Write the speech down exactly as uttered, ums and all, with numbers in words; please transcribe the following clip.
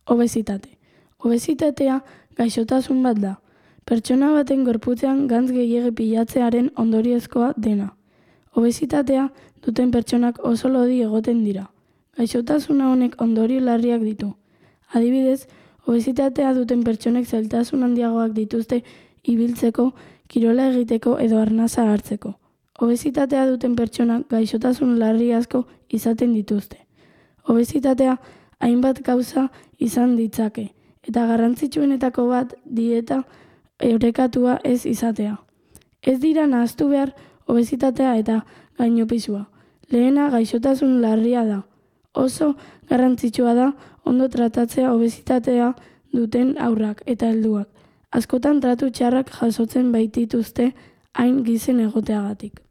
Obesitate. Obesitatea gaixotasun bat da. Pertsona baten gorputzean gantz gehiegi pilatzearen ondoriozkoa dena. Obesitatea duten pertsonak oso lodi egoten dira. Gaixotasuna honek ondorio larriak ditu. Adibidez, obesitatea duten pertsonek zailtasun handiagoak dituzte ibiltzeko, kirola egiteko edo arnasa hartzeko. Obesitatea duten pertsonak gaixotasun larri asko izaten dituzte. Obesitatea hainbat gauza izan ditzake, eta garrantzitsuenetako bat dieta orekatua ez izatea. Ez dira nahastu behar obesitatea eta gainopisua. Lehena gaixotasun larria da. Oso garrantzitsua da ondo tratatzea obesitatea duten haurrak eta helduak. Askotan tratu txarrak jasotzen baitituzte hain gizen egoteagatik.